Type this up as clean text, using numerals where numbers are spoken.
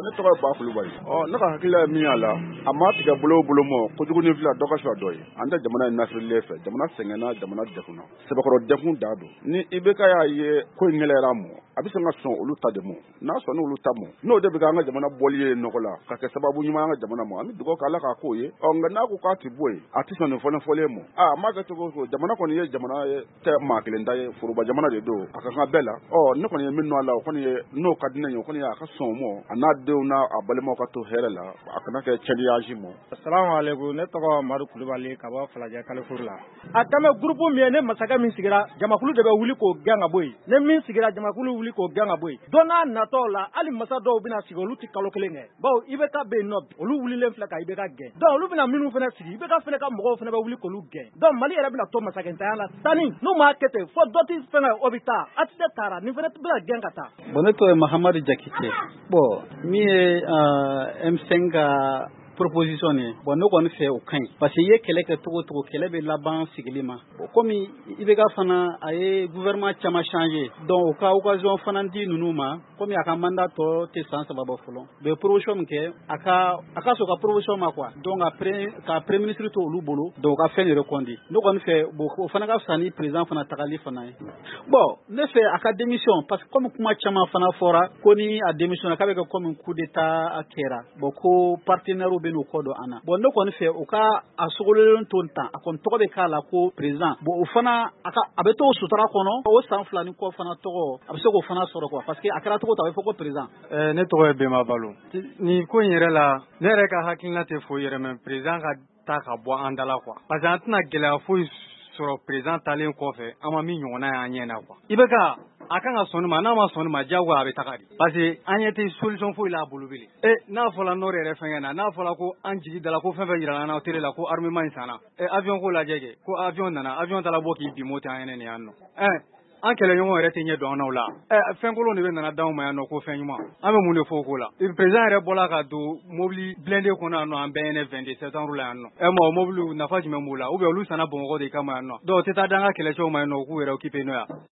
Ne tɔgɔ ye Ba Kulubali. Ne ka hakilila ye min y'a la, a ma tigɛ bolo o bolo ma, kojugu ni fila dɔ ka fisa dɔ ye. An tɛ jamana in nasirilen fɛ, jamana sɛgɛnna, jamana degunna, sɛbɛkɔrɔ degun da don. Ni IBK y'a ye ko in gɛlɛyara a ma, a bɛ sɔn ka sɔn olu ta de ma. N'a sɔnna olu ta ma, n'o de bɛ kɛ an ka jamana bɔli ye nɔgɔ la, ka kɛ sababu ɲuman ye an ka jamana ma, an bɛ dugawu kɛ Ala k'a k'o ye. Nka n'a ko k'a tɛ bɔ yen, a tɛ sɔn nin fɔlen fɔlen ma. A m'a kɛ cogo o cogo, jamana kɔni ye jamana ye, tɛ maa kelen ta ye, foroba jamana de don, a ka kan bɛɛ la. Ne kɔni ye min nɔ a la, o kɔni ye n'o ka di ne ye, o kɔni ye a ka sɔn o ma, a n'a denw n'a a balimaw ka to hɛrɛ la, a kana kɛ cɛnniyaji ma. Assalamu alaikum, ne tɔgɔ Madu Kulubali ka bɔ Falajɛ Kalifour la. A kan bɛ groupe min ye, ne masakɛ min sigira, jamakulu de bɛ wuli k'o gɛn ka bɔ yen. Ne min sigira, jamakulu wuli k'o gɛn ka bɔ yen. Don n'a natɔ la, hali masa dɔw bɛna sigi, olu tɛ kalo kelen kɛ. Bawo IBK bɛ yen nɔ, olu wulilen filɛ ka IBK gɛn. Donc olu bɛna minnu fana sigi, IBK fana ka mɔgɔw fana bɛ wuli k'olu gɛn. Donc Mali yɛrɛ bɛna to masakɛntanya la tani, n'u m'a kɛ ten, fo dɔ tɛ fɛngɛ, o bɛ taa. ATT taara, nin fana bɛna gɛn ka taa. Bon, ne tɔgɔ ye Mahamadu Jakite. Bon, min ye M5 ka proposition ye, bon, ne kɔni fɛ o ka ɲi, parce que i ye kɛlɛ kɛ cogo o cogo, kɛlɛ bɛ laban sigili ma. Bon, komi IBK fana a ye gouvernement caman changer, donc o ka occasion fana di ninnu ma, komi a ka mandat tɔ tɛ san 3 bɔ fɔlɔ, u bɛ proposition min kɛ, a ka sɔn ka proposition ma quoi. Donc ka premier ministre to olu bolo, donc u ka fɛn de reconduit. Ne kɔni fɛ, bon, o fana ka fisa ni président fana tagali fana ye. Bon, ne fɛ a ka démission, parce que comme kuma caman fana fɔra ko ni a démission k'a bɛ kɛ comme coup d'état kɛra, bon, ko partenaire bɛ n'u kɔ don an na. Bon, ne kɔni fɛ u ka a sogolen to tan, a kɔni tɔgɔ bɛ k'a la ko président. Bon, o fana a bɛ to sutura kɔnɔ, o san 2 ni kɔ fana tɔgɔ a bɛ se k'o fana sɔrɔ quoi, parce que a kɛra cogo o cogo a bɛ fɔ ko président. Ne tɔgɔ ye Bɛnba Balo. Nin ko in yɛrɛ la, ne yɛrɛ ka hakilina tɛ foyi yɛrɛ mais président ka taa ka bɔ an da la quoi, parce que an tɛna gɛlɛya foyi sɔrɔ président talen kɔfɛ, an ma min ɲɔgɔnna y'an ɲɛ na quoi. IBK a kan ka sɔn ma, n'a ma sɔn ma diyagoya a bɛ taga de, parce que an ɲɛ tɛ solution foyi la a bolo bilen. N'a fɔra nord yɛrɛ fɛngɛ na, n'a fɔra ko an jigi dala ko fɛn fɛn yirala an na télé la ko armement in sanna, avion ko lajɛ kɛ, ko avion nana, avion taara bɔ k'i bin Moti an ɲɛnɛ nin yan nɔ. An kɛlɛɲɔgɔn yɛrɛ tɛ ɲɛ don an n'aw la. Fɛn kolon de bɛ nana d'anw ma yan nɔ ko fɛn ɲuman. An bɛ mun de fɔ o ko la? Président yɛrɛ bɔla ka don mobili blindé kɔnɔ yan nɔ, an bɛɛ ɲɛnɛ 22 septembre la yan nɔ. Ma o mobili nafa jumɛn b'o la? Ou bien olu sanna Bamakɔ de kama yan nɔ. Donc o tɛ taa d'an ka kɛlɛcɛw ma yan nɔ, u k'u yɛrɛ occuper n'o ye.